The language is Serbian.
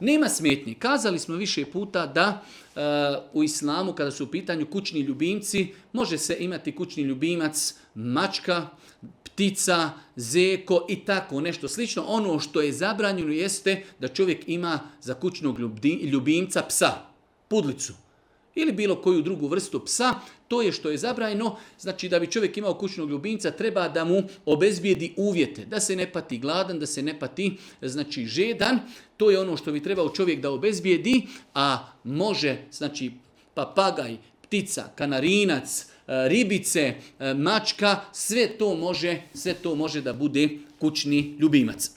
Nema smetnji. Kazali smo više puta da u islamu kada su u pitanju kućni ljubimci može se imati kućni ljubimac mačka, ptica, zeko i tako nešto slično. Ono što je zabranjeno jeste da čovjek ima za kućnog ljubimca psa, pudlicu ili bilo koju drugu vrstu psa. To je što je zabranjeno. Znači da bi čovjek imao kućnog ljubimca treba da mu obezbijedi uvjete. Da se ne pati gladan, da se ne pati žedan. To je ono što bi trebao čovjek da obezbijedi. A može znači papagaj, ptica, kanarinac, ribice, mačka, sve to može da bude kućni ljubimac.